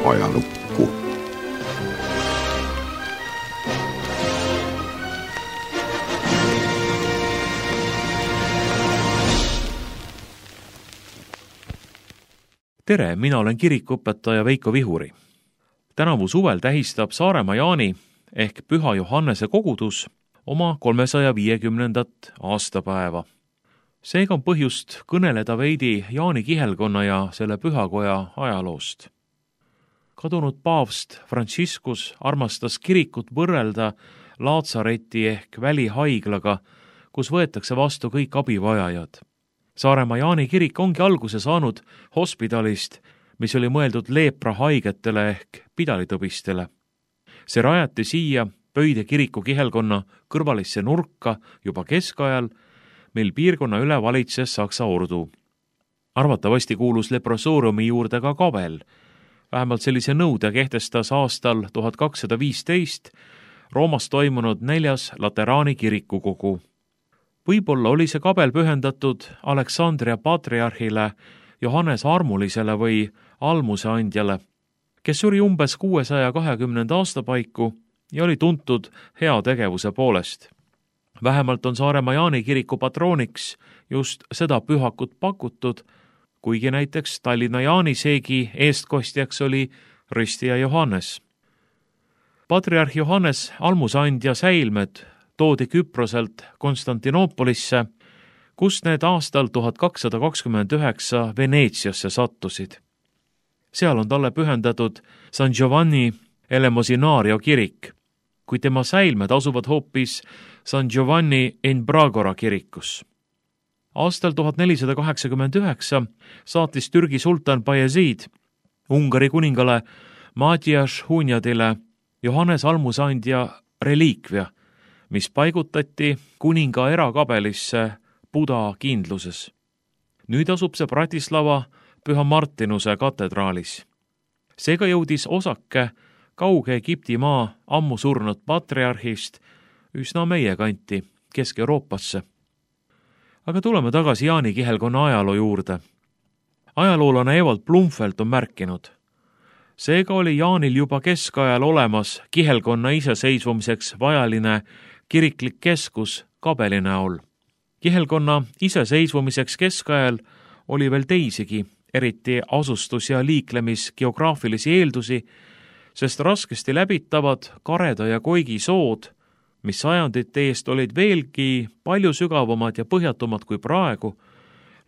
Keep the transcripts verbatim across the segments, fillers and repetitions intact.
ajalukku. Tere, mina olen kirikuõpetaja Veiko Vihuri. Tänavu suvel tähistab Saaremaa Jaani ehk Püha Johannese kogudus oma kolmesaja viiekümnendat aastapäeva. Seega on põhjust kõneleda veidi Jaani kihelkonna ja selle pühakoja ajaloost. Kadunud paavst Franciscus armastas kirikut võrrelda Laatsareti ehk välihaiglaga, kus võetakse vastu kõik abivajajad. Saaremaa Jaani kirik ongi alguse saanud hospidalist, mis oli mõeldud leeprahaigetele ehk pidalitõbistele. See rajati siia Pöide kiriku kihelkonna kõrvalisse nurka juba keskajal, mil piirkonna üle valitses Saksa ordu. Arvatavasti kuulus leprosooriumi juurde ka kabel. Vähemalt sellise nõude kehtestas aastal tuhat kakssada viisteist Roomas toimunud neljas Lateraani kirikukogu. Võib-olla oli see kabel pühendatud Aleksandria patriarhile Johannes Armulisele või almuseandjale, kes suri umbes kuuesaja kahekümnenda aasta paiku ja oli tuntud hea tegevuse poolest. Vähemalt on Saaremaa Jaani kiriku patrooniks just seda pühakut pakutud, kuigi näiteks Tallinna Jaaniseegi eestkostjaks oli ristija Johannes. Patriarh Johannes almuseandja säilmed toodi Küproselt Konstantinoopolisse, kus need aastal tuhat kakssada kakskümmend üheksa Veneetsiasse sattusid. Seal on talle pühendatud San Giovanni Elemosinario kirik, kui tema säilmed asuvad hoopis San Giovanni in Bragora kirikus. Aastal tuhat nelisada kaheksakümmend üheksa saatis Türgi sultan Bayezid Ungari kuningale Matias Hunjadile Johannes almuseandja reliikvia, mis paigutati kuninga erakabelisse Buda kindluses. Nüüd asub see Bratislava Püha Martinuse katedraalis. Seega jõudis osake kauge Egipti maa ammu surnud patriarhist üsna meie kanti, Kesk-Euroopasse. Aga tuleme tagasi Jaani kihelkonna ajaloo juurde. Ajaloolane Evald Blumfeld on märkinud. Seega oli Jaanil juba keskajal olemas kihelkonna iseseisvumiseks vajaline kiriklik keskus kabeli näol. Kihelkonna iseseisvumiseks keskajal oli veel teisigi, eriti asustus- ja liiklemisgeograafilisi eeldusi, sest raskesti läbitavad Kareda ja Koigi sood, mis sajandite eest olid veelgi palju sügavamad ja põhjatumad kui praegu,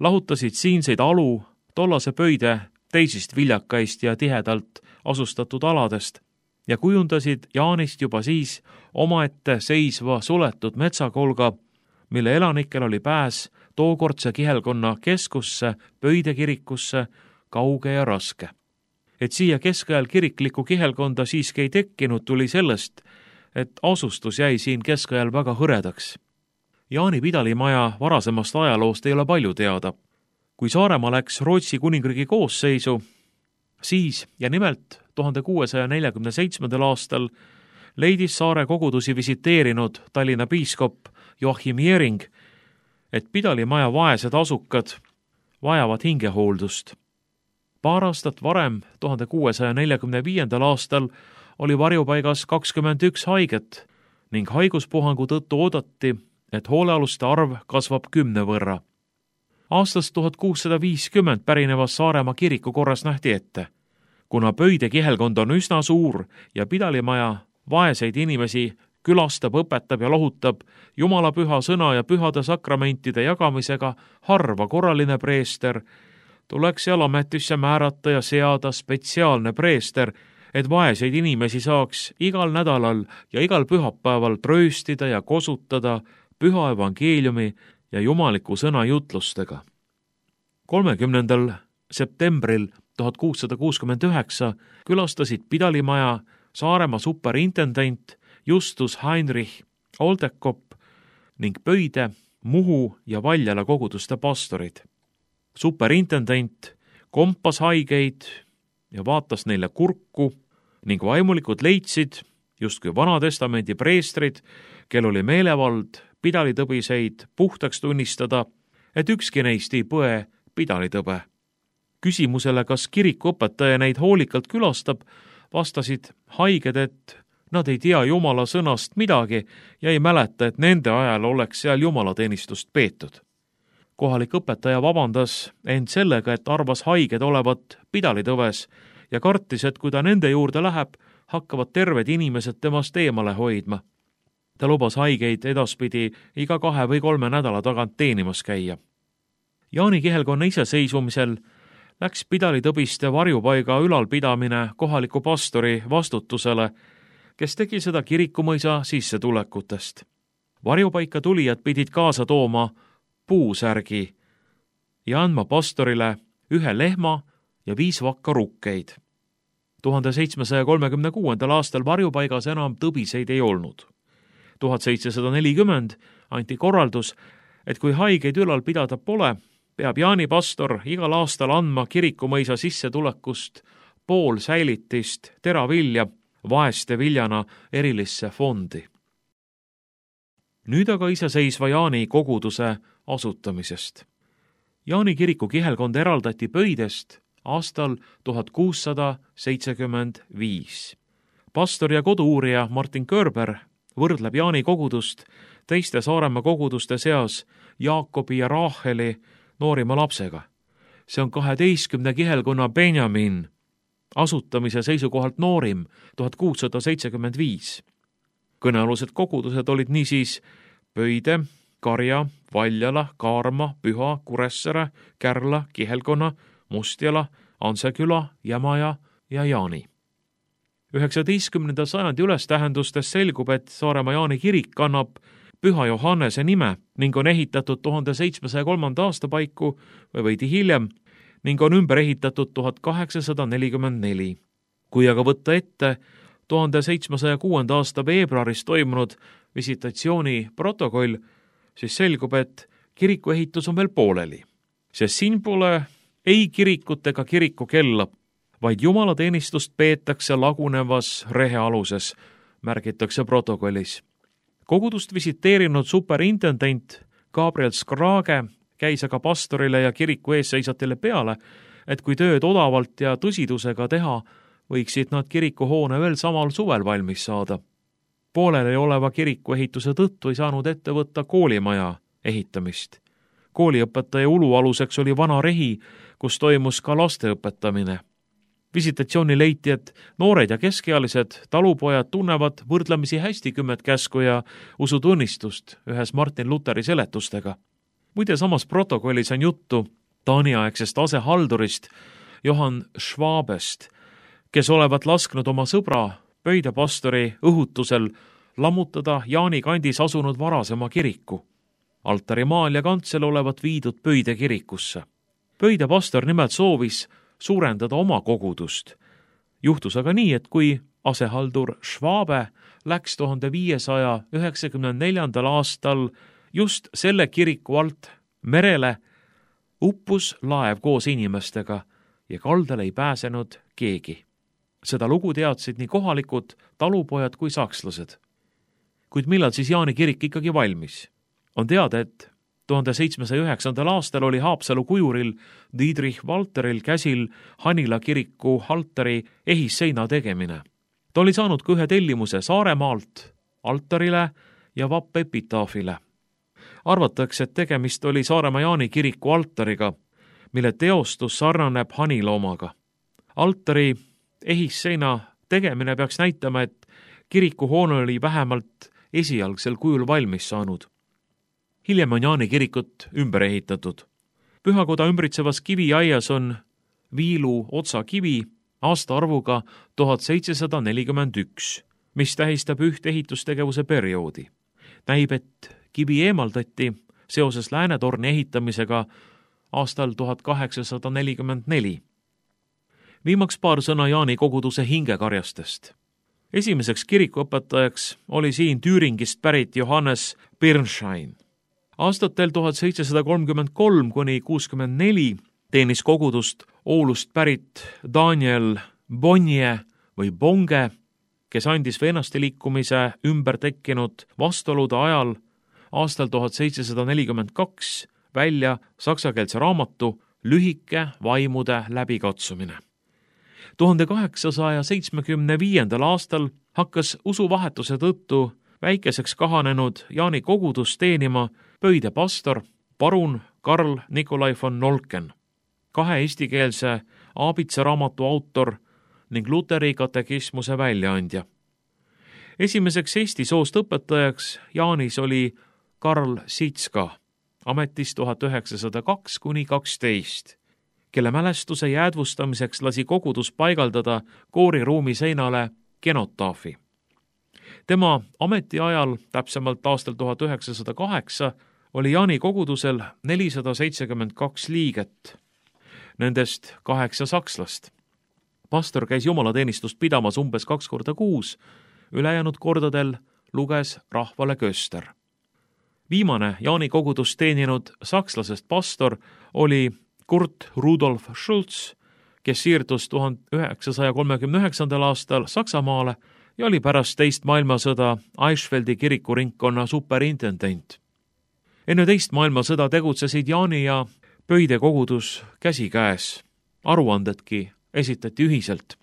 lahutasid siinseid alu tollase Pöide teisist viljakaist ja tihedalt asustatud aladest ja kujundasid Jaanist juba siis omaette seisva suletud metsakolga, mille elanikel oli pääs tookordse kihelkonna keskusse, Pöide kirikusse, kauge ja raske. Et siia keskajal kiriklikku kihelkonda siiski ei tekkinud, tuli sellest, et asustus jäi siin keskajal väga hõredaks. Jaani pidalimaja varasemast ajaloost ei ole palju teada. Kui Saaremaa läks Rootsi kuningriigi koosseisu, siis ja nimelt tuhande kuuesaja neljakümne seitsmendal aastal leidis saare kogudusi visiteerinud Tallinna piiskop Joachim Jering, et pidalimaja vaesed asukad vajavad hingehooldust. Paar aastat varem, tuhande kuuesaja neljakümne viiendal aastal, oli varjupaigas kakskümmend üks haiget ning haiguspuhangu tõttu oodati, et hoolealuste arv kasvab kümne võrra. Aastast tuhat kuussada viiskümmend pärinevas Saaremaa kiriku korras nähti ette. Kuna Pöide kihelkond on üsna suur ja pidalimaja vaeseid inimesi külastab, õpetab ja lohutab Jumala püha sõna ja pühade sakramentide jagamisega harva korraline preester, tuleks seal ametisse määrata ja seada spetsiaalne preester, et vaeseid inimesi saaks igal nädalal ja igal pühapäeval trööstida ja kosutada püha evangeeliumi ja jumaliku sõna jutlustega. kolmekümnendal septembril tuhat kuussada kuuskümmend üheksa külastasid pidalimaja Saaremaa superintendent Justus Heinrich Oldekopp ning Pöide, Muhu ja Valjala koguduste pastorid. Superintendent kompas haigeid ja vaatas neile kurku ning vaimulikud leidsid, justkui Vanatestamendi preestrid, kel oli meelevald pidalitõbiseid puhtaks tunnistada, et ükski neist ei põe pidalitõbe. Küsimusele, kas kirikuõpetaja neid hoolikalt külastab, vastasid haiged, et nad ei tea Jumala sõnast midagi ja ei mäleta, et nende ajal oleks seal jumalateenistust peetud. Kohalik õpetaja vabandas end sellega, et arvas haiged olevat pidalitõves ja kartis, et kui ta nende juurde läheb, hakkavad terved inimesed temast eemale hoidma. Ta lubas haigeid edaspidi iga kahe või kolme nädala tagant teenimas käia. Jaani kihelkonna iseseisvumisel läks pidalitõbiste varjupaiga ülalpidamine kohaliku pastori vastutusele, kes tegi seda kirikumõisa sissetulekutest. Varjupaika tulijad pidid kaasa tooma puusärgi ja andma pastorile ühe lehma ja viis vakka rukkeid. tuhande seitsmesaja kolmekümne kuuendal aastal varjupaigas enam tõbiseid ei olnud. tuhat seitsesada nelikümmend anti korraldus, et kui haigeid ülal pidada pole, peab Jaani pastor igal aastal andma kirikumõisa sissetulekust pool säilitist teravilja vaeste viljana erilisse fondi. Nüüd aga iseseisva Jaani koguduse asutamisest. Jaani kiriku kihelkond eraldati Pöidest aastal tuhat kuussada seitsekümmend viis. Pastor ja kodu-uurija Martin Körber võrdleb Jaani kogudust teiste Saaremaa koguduste seas Jaakobi ja Raaheli noorima lapsega. See on kaheteistkümne kihelkonna Benjamin, asutamise seisukohalt noorim, tuhat kuussada seitsekümmend viis. Kõnealused kogudused olid niisiis Pöide, Karja, Valjala, Kaarma, Püha, Kuressere, Kärla, Kihelkonna, Mustjala, Anseküla, Jämaja ja Jaani. üheksateistkümnenda sajandi ülestähendustes selgub, et Saaremaa Jaani kirik kannab Püha Johannese nime ning on ehitatud tuhande seitsmesaja kolmanda aasta paiku või veidi hiljem ning on ümber ehitatud tuhat kaheksasada nelikümmend neli. Kui aga võtta ette tuhande seitsmesaja kuuenda aasta veebruaris toimunud visitatsiooni protokoll, siis selgub, et kiriku ehitus on veel pooleli, sest siin pole ei kirikut ega kiriku kella, vaid jumalateenistust peetakse lagunevas rehealuses, märgitakse protokollis. Kogudust visiteerinud superintendent Gabriel Skrage käis aga pastorile ja kiriku eesseisatele peale, et kui tööd odavalt ja tõsidusega teha, võiksid nad kirikuhoone veel samal suvel valmis saada. Pooleli oleva kiriku ehituse tõttu ei saanud ette võtta koolimaja ehitamist. Kooliõpetaja ulualuseks oli vana rehi, kus toimus ka laste õpetamine. Visitatsiooni leiti, et noored ja keskealised talupojad tunnevad võrdlemisi hästi kümmet käsku ja usutunnistust ühes Martin Luteri seletustega. Muide, samas protokollis on juttu Taani-aegsest asehaldurist Johann Schwabest, kes olevat lasknud oma sõbra Pöide pastori õhutusel lammutada Jaani kandis asunud varasema kiriku. Altarimaal ja kantsel olevat viidud Pöide kirikusse. Pöide pastor nimelt soovis suurendada oma kogudust. Juhtus aga nii, et kui asehaldur Schwabe läks tuhande viiesaja üheksakümne neljandal aastal just selle kiriku alt merele, uppus laev koos inimestega ja kaldale ei pääsenud keegi. Seda lugu teadsid nii kohalikud, talupojad kui sakslased. Kuid millal siis Jaani kirik ikkagi valmis? On teada, et tuhande seitsmesaja üheksandal aastal oli Haapsalu kujuril Dietrich Walteril käsil Hanila kiriku altari ehisseina tegemine. Ta oli saanud ka ühe tellimuse Saaremaalt altarile ja vappepitaafile. Arvatakse, et tegemist oli Saaremaa Jaani kiriku altariga, mille teostus sarnaneb Hanila omaga. Altari ehisseina tegemine peaks näitama, et kirikuhoone oli vähemalt esialgsel kujul valmis saanud. Hiljem on Jaani kirikut ümber ehitatud. Pühakoda ümbritsevas kiviaias on viilu otsakivi aastaarvuga tuhat seitsesada nelikümmend üks, mis tähistab üht ehitustegevuse perioodi. Näib, et kivi eemaldati seoses Läänetorni ehitamisega aastal tuhat kaheksasada nelikümmend neli. Viimaks paar sõna Jaani koguduse hingekarjastest. Esimeseks kirikuõpetajaks oli siin Tüüringist pärit Johannes Birnschein. Aastatel tuhat seitsesada kolmkümmend kolm kuni kuuskümmend neli teenis kogudust Oulust pärit Daniel Bonje või Bonge, kes andis veenaste liikumise ümber tekkinud vastuolude ajal aastal tuhat seitsesada nelikümmend kaks välja saksakeelse raamatu lühike vaimude läbikatsumine. tuhande kaheksasaja seitsmekümne viiendal aastal hakkas usuvahetuse tõttu väikeseks kahanenud Jaani kogudus teenima Pöide pastor parun Karl Nikolai von Nolken, kahe eestikeelse Aabitsa raamatu autor ning Luteri katekismuse väljaandja. Esimeseks eesti soost õpetajaks Jaanis oli Karl Sitska, ametis tuhat üheksasada kaks kuni kaksteist, kelle mälestuse jäädvustamiseks lasi kogudus paigaldada kooriruumi seinale kenotaafi. Tema ametiajal, täpsemalt aastal tuhat üheksasada kaheksa, oli Jaani kogudusel nelisada seitsekümmend kaks liiget, nendest kaheksa sakslast. Pastor käis jumalateenistust pidamas umbes kaks korda kuus, ülejäänud kordadel luges rahvale köster. Viimane Jaani kogudus teeninud sakslasest pastor oli Kurt Rudolf Schulz, kes siirdus tuhande üheksasaja kolmekümne üheksandal aastal Saksamaale ja oli pärast teist maailmasõda Eichfeldi kirikuringkonna superintendent. Enne teist maailmasõda tegutsesid Jaani ja Pöide kogudus käsikäes, aruandedki esitati ühiselt.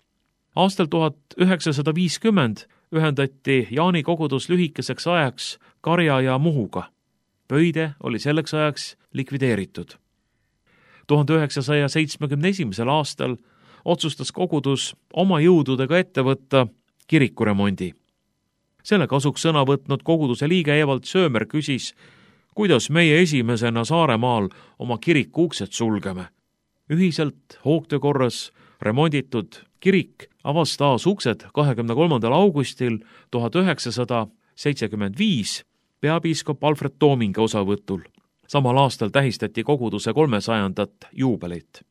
Aastal tuhat üheksasada viiskümmend ühendati Jaani kogudus lühikeseks ajaks Karja ja Muhuga. Pöide oli selleks ajaks likvideeritud. tuhande üheksasaja seitsmekümne esimesel aastal otsustas kogudus oma jõududega ette võtta kirikuremondi. Selle kasuks sõna võtnud koguduse liige Evald Söömer küsis, kuidas meie esimesena Saaremaal oma kiriku uksed sulgeme. Ühiselt hoogtöö korras remonditud kirik avas taas uksed kahekümne kolmandal augustil tuhat üheksasada seitsekümmend viis peapiiskop Alfred Toominga osavõtul. Samal aastal tähistati koguduse kolmesajandat juubelit.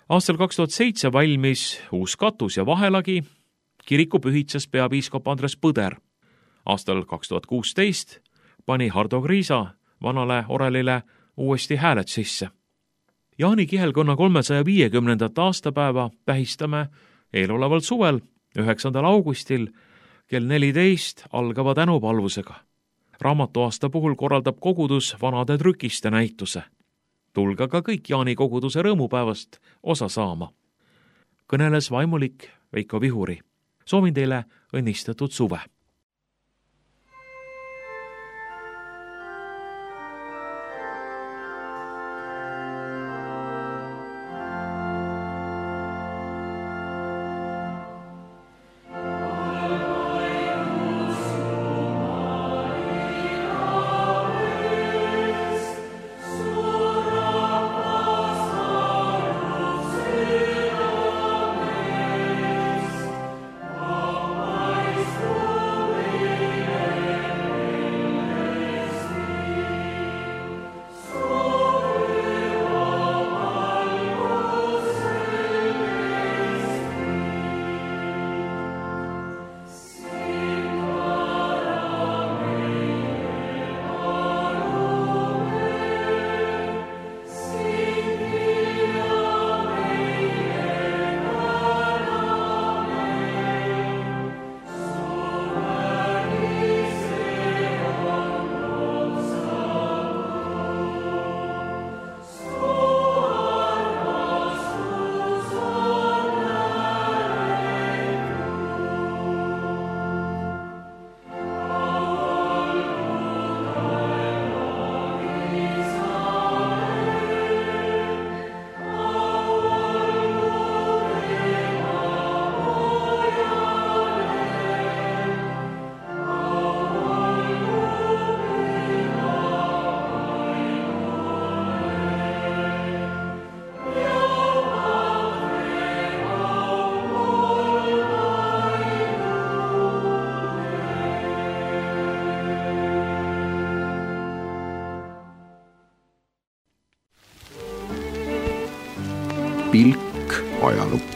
Aastal kaks tuhat seitse valmis uus katus ja vahelagi, kiriku pühitses peapiiskop Andres Põder. Aastal kaks tuhat kuusteist pani Hardo Kriisa vanale orelile uuesti hääled sisse. Jaani kihelkonna kolmesaja viiekümnendat aastapäeva tähistame eeloleval suvel, üheksandal augustil kell neliteist algava tänupalvusega. Raamatuaasta puhul korraldab kogudus vanade trükiste näituse. Tulge ka kõik Jaani koguduse rõõmupäevast osa saama. Kõneles vaimulik Veiko Vihuri. Soovin teile õnnistatud suve. pilk ajalukku.